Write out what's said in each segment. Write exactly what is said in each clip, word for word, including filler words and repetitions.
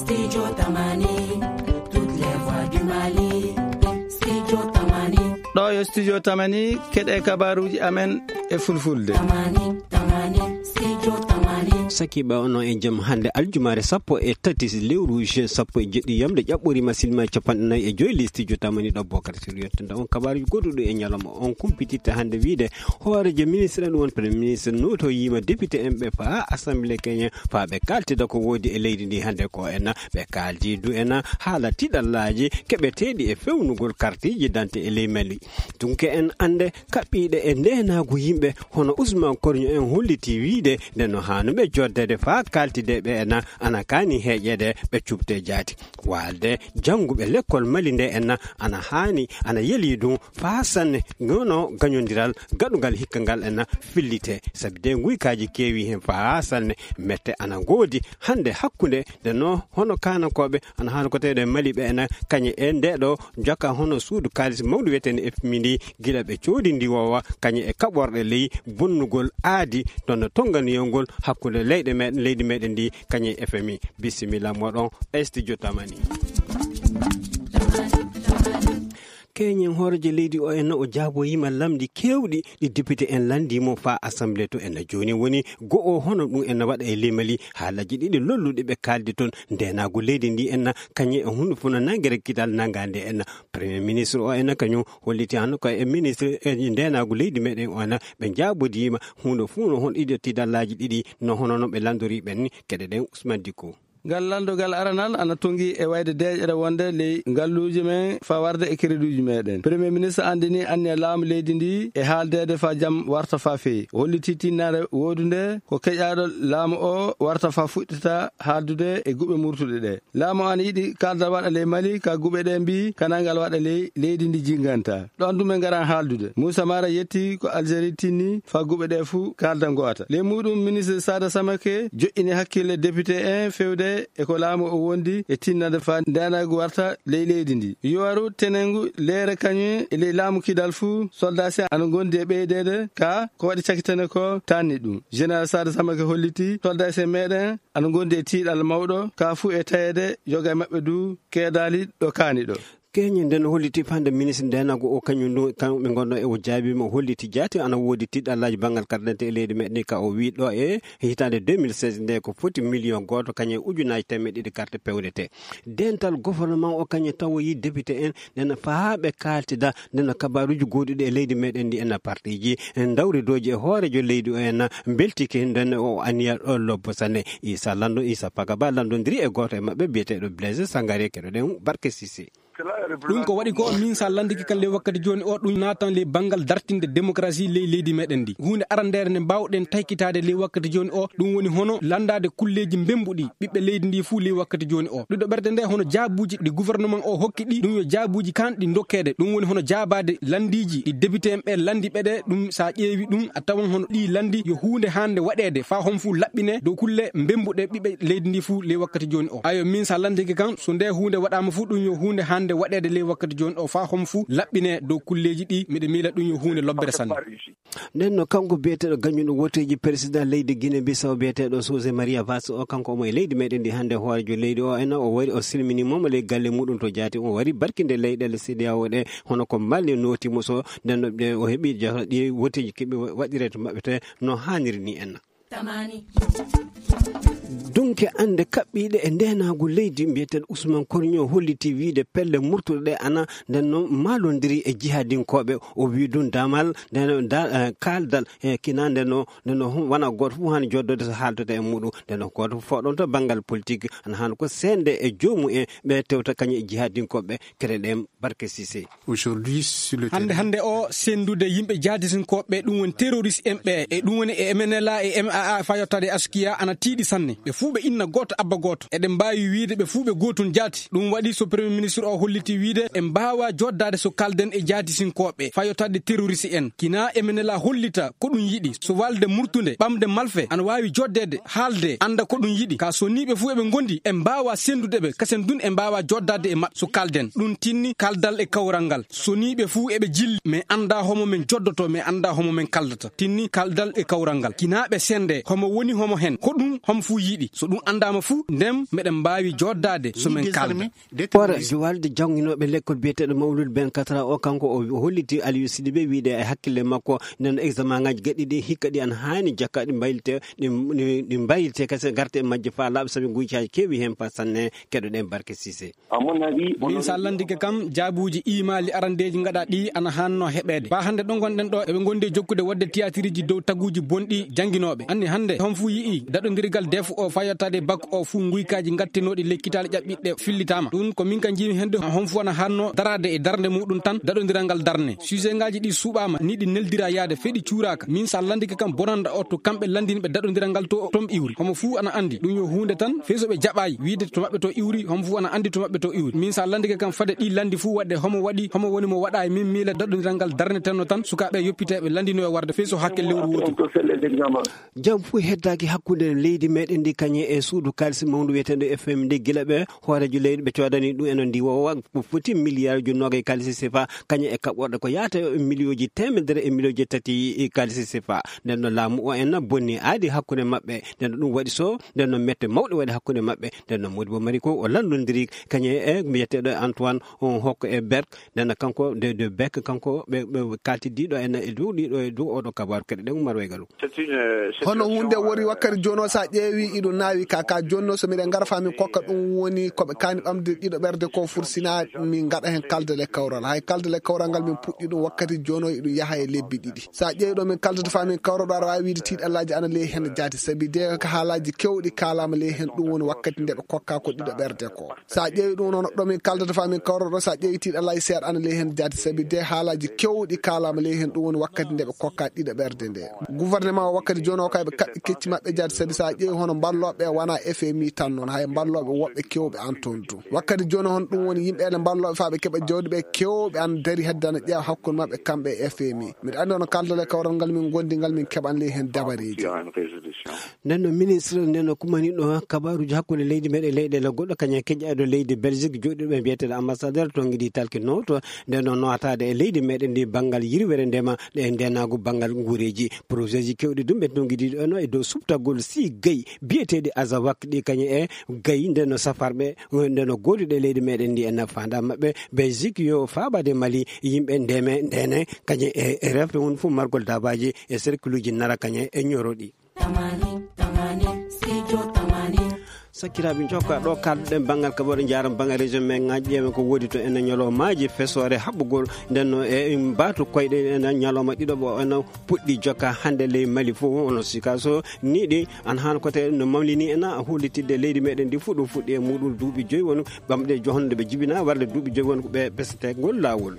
Studio Tamani, toutes les voix du Mali. Studio Tamani. Ɗo yo Studio Tamani, keɗe kabaruuji amen e fulfulde. Tamani, Tamani, Studio Tamani. Sakiiɓe, onon e jam. Hannde aljumaare sappo e tati lewru juin sappo e jeɗɗi yamde ƴaɓɓoriima silma capanɗe nayi e joy ley Studio Tamani ɗo Bokar Sir yettinta on kabaruuji goɗɗuɗi e ñalawma on kumpititta hannde wiide hooreejo ministre ɗum woni premier ministre nootoyiima député en ɓe faa assemblée keñe faa ɓe kaaltida ko woodi e leydi ndi hannde ko en ɓe kaaldi du en haala tiɗallaaji keɓeteeɗi e fewnugol kartiiji dante e ley Mali. Tunke en annde kaɓɓiiɗe e ndeenaagu yimɓe hono Ousmane Korño en holliti wiide nde no haanuɓe joddede faa kaaltide ɓe en ana kaani heeƴeede ɓe cuɓte jaati. Waalde jannguɓe lekkol Mali nde en ana haani ana yelii ɗum faa sanne nono gañondiral gaɗungal hikka ngal en fillite. Sabi de nguykaaji keewi heen faa sanne mette ana ngoodi hannde hakkunde nde no hono kaanankooɓe ana haani ko tawde Mali ɓe ena kañe e nde ɗo jokka hono suudu kaalis mawdu wiyetee F M I ndi gila ɓe coodi ndi wowa kañe e kaɓorɗe ley bonnugol aadi ɗon no tonganiyol ngol hakkunde leyɗe meɗen leydi meɗen ndi kañe e F M I. Bisimilla moɗon e Studio Tamani. Keñen hooreejo leydi o en o jaaboyiima lamndi keewɗi ɗi député en lanndii mo faa assemblée to en jooni woni go'o hono ɗum en waɗa e ley Mali haalaaji ɗiɗi lolluɗi ɓe kaaldi toon ndeenaagu leydi ndi en kañe e huunde fof no nanngere kital nanngaande en. Premier ministre o en kañum holliti hannde ko e ministre e ndeenaagu leydi meɗen o en ɓe njaabodiima huunde fof no hon ɗiɗo tidallaaji ɗiɗi no hono no ɓe lanndori ɓen ni keɗe ɗen Ousmane Dicko. Ngal lanndogal aranal ana tonngi e wayde deeƴere wonde ley ngalluuji men faa warde e kereduuji meɗen. Premier ministre anndini anniya laamu leydi ndi e haaldeede faa jam warta faa feewi. O holliti tinnaare woodunde ko keƴaaɗo laamu o warta faa fuɗɗita haaldude e guɓe murtuɗe ɗe. Laamu o ana yiɗi kaaldal waɗa ley Mali, ka guɓe ɗe mbii kanaa ngal waɗa ley leydi ndi jinnganta. Ɗoon ɗum en ngaran haaldude. Muusa Mara yetti ko Algérie tinni faa guɓe ɗe fuu kaalda ngo'ata. Ley muuɗum, ministre Sada Samake joƴƴini hakkille député en feewde e ko laamu o wondi e tinnande faa ndeenaagu warta ley leydi ndi. Yowaru tenengu leere kañum e ley laamu kidal fuu, soldaasi ana ngondi e ɓeydeede ka ko waɗi cakitane ko tanni ɗum. Général Sada Samake holliti soldaasi meɗen ana ngondi e tiiɗal mawɗo ka fuu e tayeede yoga e maɓɓe du keedaali ɗo kaani ɗo. Keñe nden holliti fande ministre ndenago o kañum ɗum kamɓe gonno e o jaabiima o holliti jaati ana woodi tiɗɗallaaji banngal carte d'identité e leydi meɗen ka o wii ɗo e hitaande deux mille seize nde ko foti million gooto kañum e ujunaaji temeɗɗe ɗiɗi carte pewdete. Dental gouvernement o kañum tawoyi député en ndena faa ɓe kaaltida ndena kabaruuji gooduɗi e leydi meɗen ndi ena partiji en dawridooji e hoorejo leydi o en mbeltike nden o aniya ɗo lobbo sanne. Isa Lando Isa Pagaba landondiri e gooto e maɓɓe biyeteeɗo Blaise Sangare keɗoɗen Barke Sisi. Ɗum ko waɗi ko min sa landike kan ley wakkati jooni o ɗum naatan ley banngal dartinde démocratie ley leydi meɗen ndi. Huunde arandeere nde mbawɗen taykitaade ley wakkati jooni o ɗum woni hono landaade kulleeji mbembuɗi ɓiɓɓe leydi ndi fuu ley wakkati jooni o. Ɗiɗo ɓerde nde hono jaabuuji ɗi gouvernement o hokki ɗi ɗum yo jaabuuji kanɗi dokkeede ɗum woni hono jaabaade landiiji ɗi député en ɓe landi ɓe ɗe ɗum sa ƴeewi ɗum a tawan hono ɗi landi yo huunde hande waɗeede faa hon fuu laɓɓine dow kulle mbembuɗe ɓiɓɓe leydi ndi fuu ley wakkati jooni o. Ayo min sa landike kan so nde huunde waɗaama fuu ɗum yo huunde hande waɗeede ley wakkati jooni o faa hon fuu laɓɓine dow kulleeji ɗi miɗo miila ɗum yo huunde lobbere sanne. Nden no kanko biyeteeɗo gañuɗo woteeji président leydi Guinée Bissau biyeteeɗo José Maria Vaz o kanko omo e leydi meɗen ndi hande hoorejo leydi o ena o wari o silmini momo ley galle muɗum to jaati o wari barkinde leyɗele C D A O ɗe hono ko Mali nooti mo so nden no ɓe o heɓi jahra ɗi woteeji keɓe waɗire to maɓɓe te no haaniri ni en. Tamani. Dunke ande kaɓɓiiɗe e ndenaagu leydi mbiyeteeɗo Ousmane Korño holliti wiide pelle murtuɗe ɗe ana nden noon maalondiri e jihadinkooɓe o wii ɗum damal nden da- eh, kaaldal e kina nden no nden no wona gooto fof haani joddode so haaldoto e muɗum nden no gooto fof fawɗon to banngal politique ana haani ko seende e joomum en ɓe tewta kañum e jihadinkooɓe kere ɗen Barke Sise. Hannde hannde o senndude yimɓe jihadisinkooɓe ɓe ɗum woni terroriste en ɓe e ɗum woni e M N L A e M A A faa yottaade e Askia ana tiiɗi sanne. Ɓe fuu ɓe inna gooto abba gooto. Eɗen mbaawi wiyde ɓe fuu ɓe gootun jaati. Ɗum waɗi so premier ministre o holliti wiyde en mbaawaa joddaade so kaalden e jihadisinkooɓe faa yottaade terroriste en. Kinaa M N L A hollita ko ɗum yiɗi. So waalde murtunde, ɓamde malfe ana waawi joddeede, haalde, annda ko ɗum yiɗi. Kaa so nii ɓe fuu eɓe ngondi, en mbaawaa senndude ɓe, kasen dun en mbaawaa joddaade e maɓɓe so kaalden. Ɗum tinni kaaldal e kawral ngal. So nii ɓe fuu eɓe jilli, mi anndaa homo men joddoto, mi anndaa homo men kaaldata. Tinni kaaldal e kawral ngal. Kinaa ɓe senndee, homo woni homo hen. Ko ɗum homo fuu yiɗi. So Ɗum anndaama fuu, ndeen meɗen mbaawi jooɗdaade so min kaalda. Hoore juwalde jannginooɓe lekkol biyeteeɗo Mawlud Ben Katra o, kanko o holliti Aliou Sidibé wiyde e hakkille makko, nden examen ngaji gaɗɗi ɗi hikka ɗi ana haani jakka ɗi mbaylite, ɗi, ɗi, ɗi mbaylite kese, garte e majje faa laaɓa, sabi nguy caaji keewi heen faa sanne. Keɗoɗen Barke Sise. Min sa lanndike kam, jaabuuji imaali arandeeji ngaɗa ɗi ana haanno heɓeede. Faa hannde ɗo ngonɗen ɗo, eɓe ngondi e jokkude waɗde tiyaatiriiji dow taguuji bonɗi jannginooɓe. Anni hannde, hon fuu yi'i daɗondirgal def o faa yottaade bak o fuu, nguykaaji ngattinooɗi ley kitaale ƴaɓɓiɗɗe fillitaama. Ɗum ko min ka njiimi hende, hon fuu ana haanno daraade e darnde muɗum tan, daɗondiral ngal darne. Sujet ngaaji ɗi suuɓaama, ni ɗi neldira yaade, fee ɗi cuuraaka. Min sa lanndike kam, bonanda o to kamɓe lanndinɓe daɗondiral ngal to, toon iwri. Homo fuu ana anndi. Ɗum yo huunde tan, fee so ɓe jaɓaay wiide to maɓɓe to iwri, homo fuu ana anndi to maɓɓe to iwri. Min sa lanndike kam, fade ɗi lanndi fuu waɗde, homo waɗi, homo woni mo waɗaay, min miila daɗondiral ngal darnetenno tan, sukaaɓe yoppiteeɓe lanndino e warde, fee so hakke lewru wootu. Jam fuu heddaaki hakkunde leydi meɗen ndi kañe e suudu kaalisi mawndu wiyeteeɗo F M D, gila ɓe hooreejo leydi ɓe coodani ɗum eno ndi wowa ko foti miliyaaruuji noogay kaalisi sefa, kañe e kaɓorɗe ko yaata e miliyooji teemedere e miliyooji tati kaalisi sefa. Nden no laamu o en bonni aadi hakkunde maɓɓe, nden no ɗum waɗi so, nden no mette mawɗe waɗi hakkunde maɓɓe, nden no Modibo Mari ko o lanndondiri kañe e mbiyeteeɗo Antoine on hokko e Berk, nden no kanko de, de Berk, kanko ɓe, ɓe kalti diɗo en e dow ɗiɗo e dow oɗo kabaru. Keɗe ɗen Umar Waygalu. Hono hunde wori wakkati jono, sa ƴeewi iɗo naawi ka, ka jono, so miɗen ngara fa min kokka ɗum woni ko ɓe kaani ɓamde ɗiɗo ɓerde ko fursina min ngaɗa hen kalde le kawral. Hay kalde le kawral ngal min puɗɗi ɗum wakkati jono, iɗum yaha e lebbi ɗiɗi. Sa ƴeewi ɗo min kaldata fa min kawra ɗo, aɗa waawi wiide tiiɗallaaji ana ley hen jaati, sabi de ka haalaaji kewɗi kaalaama ley hen, ɗum woni wakkati nde ɓe kokka ko ɗiɗo ɓerde ko. Sa ƴeewi ɗum noon ɗo min kaldata fa min kawra ɗo, sa ƴeewi tiiɗallaaji seeɗa ana ley hen jaati, sabi de haalaaji kewɗi kaalaama ley hen, ɗum woni wakkati nde ɓe kokka ɗiɗo ɓerde nde. Gouvernement o wakkati jooni o kay ɓe kaɓɓi kecci maɓɓe jaati, sabi sa ƴeewi hono mballooɓe wona F M I tan noon, hay mballooɓe woɓɓe kewɓe an toon du. Wakkati jooni hon ɗum woni yimɓe ene mballooɓe faa ɓe keɓa jawdi ɓe kewɓe an dari hedde ana ƴeewa hakkunde maɓɓe kamɓe e F M I. Miɗo anndi hono kaldal e kawral ngal min ngondi ngal min keɓan ley hen dabareeji. Nden no ministre, nden no kumani ɗo kabaruuji hakkunde leydi meɗen leyɗeele goɗɗo, kañum e keƴaaɗo leydi Belgique jooɗiiɗo ɓe mbiyeteeɗo ambassadeur to ngiɗi talki nooto, nden no nootaade e leydi meɗen ndi banngal yirwere ndema ɗe ndeenaagu banngal nguureeji. Projet ji kewɗi ɗum ɓe to ngiɗi ɗo no e dow suɓtagol sii gayi biyeteeɗi Azawak ɗi kañum e gayi nden no safarɓe, nden no gooduɗe leydi meɗen ndi e nafaanda maɓɓe. Belgique yo faabaade Mali, yimɓe ndeme, ndene, kañum e, e refre won fof margol daabaaji e cercle uji nara kañum e ñoroɗi. Tamani, tamani, studio tamani. Sakkiraaɓe, jokka ɗo kalduɗen banngal kaɓore, jaaram banngal région men ngaji, ƴeewen ko woodi to ene ñalawmaaji fesoore haɓɓugol, nden no e mbaatu koyɗe ene ñalawma ɗiɗo ɓo ene puɗɗi jokka hannde ley Mali fof, ono sika so ni ɗi an haan kote no mawlini ena hollitidde leydi meɗen ndi fof ɗo fuɗɗi e muɗum duuɓi joyi won ɓamɗe johonde ɓe jibina warde duuɓi joyi won ko ɓe besete ngol laawol.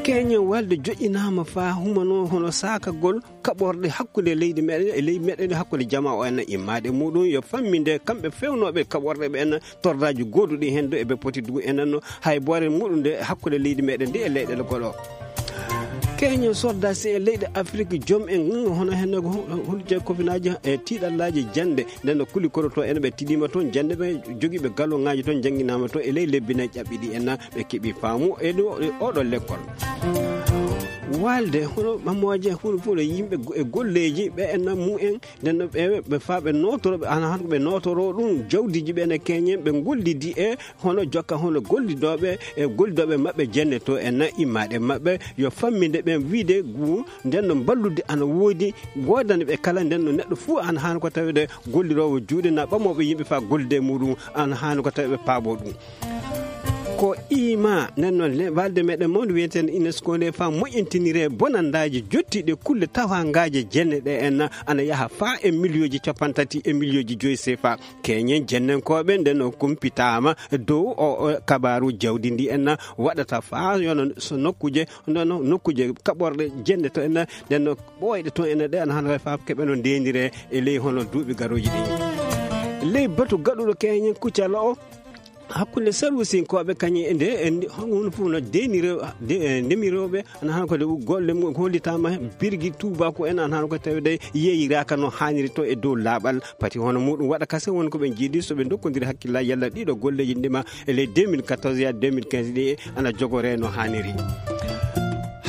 Keñen walde joƴƴinaama faa humano hono saakagol kaɓorɗe hakkunde leydi meɗen e leydi meɗen, hakkunde jama o en immaade muɗum yo famminde kamɓe fewnooɓe kaɓorɗe ɓe en tordaaji gooduɗi heen do eɓe poti dugu enen no hay boore muɗum nde hakkunde leydi meɗen ndi e leyɗeele goɗo. Keñen sordasi e leyɗe Afrik, joom en hono heen ko hulje kofinaaji e tiiɗallaaji jannde, nden no kuli koro to en ɓe tiɗima toon jannde, ɓe jogiiɓe galongaaji toon jannginaama toon e ley lebbi nayi ƴaɓɓiɗi en. Ɓe keɓi faamu e ɗo, e oɗo lekkol. Walde hono ɓammooje, hono fof no yimɓe go-, e golleeji ɓe enna mumen, nden no ɓe, ɓe faa ɓe nootoro, ɓe ana han ko ɓe nootoro ɗum, jawdiiji ɓe ene keñen, ɓe gollidi e hono jokka hono gollidooɓe e gollidooɓe maɓɓe jenne to enna immaade maɓɓe, yo famminde ɓen wiide gu-, nden no mballude ana woodi, woodani ɓe kala, nden no neɗɗo fof ana han ko tawede golliroowo juuɗe na ɓamooɓe yimɓe faa gollude e muɗum, ana han ko tawede paabo ɗum. Ko ima nden noon le-, walde meɗen mawnde wiyeteende UNESCO nde faa moƴƴintinire bonandaaji jottiiɗe kulle tawangaaje jenne ɗe en ana yaha faa e miliyooji cappanɗe tati e miliyooji joyi sefa. Keñen jennenkooɓe nden no kumpitaama dow o, o kabaaru jawdi ndi en waɗata faa yono so nokkuuje, nden no nokkuuje kaɓorɗe jenne to en nden no ɓooyɗe to en ɗe ana hannde faa keɓe no ndeenire e ley hono duuɓi garooji ɗi. Ley batu gaɗuɗo keñen kuccala o, hakkunde sarwusinkooɓe kañum e nde, e nde, hono fof no deeniro-, de-, e ndemirooɓe, ana han ko de golle mum hollitaama birgi tuubaaku en, ana han ko tawde yeeyiraaka no haaniri to e dow laaɓal. Pati hono muɗum waɗa kase won ko ɓe njiidi so ɓe ndokkondiri hakkillaaji yalla ɗiɗo golleeji ndema e ley deux mille quatorze yaa deux mille quinze ɗi ana jogoree no haaniri.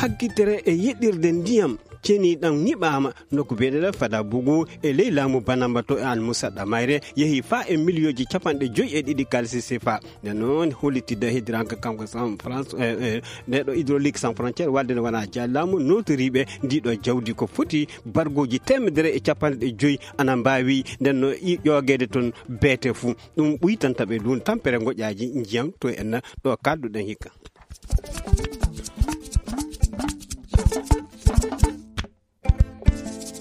Haggitere e yeɗɗirde ndiyam. Ceniɗam nyiɓaama nokku biyeteeɗo Fada Bugu e ley laamu Banamba to e Almusadda mayre, yehi faa e miliyooji capanɗe joy e ɗiɗi kalisi sefa. Nden noon, hollitidde heddiranke kanko San France, eh, eh, nde ɗo Hydraulique Sans Frontières, walde nde wonaa jaalaamu nootoriiɓe ndii ɗo jawdi ko foti bargooji teemedere e capanɗe joy ana mbaawi nden no i-, ƴoogeede toon beete fuu. Ɗum ɓuytanta ɓe ɗum tampere ngoƴaaji njiyam to en ɗo kaalduɗen hikka.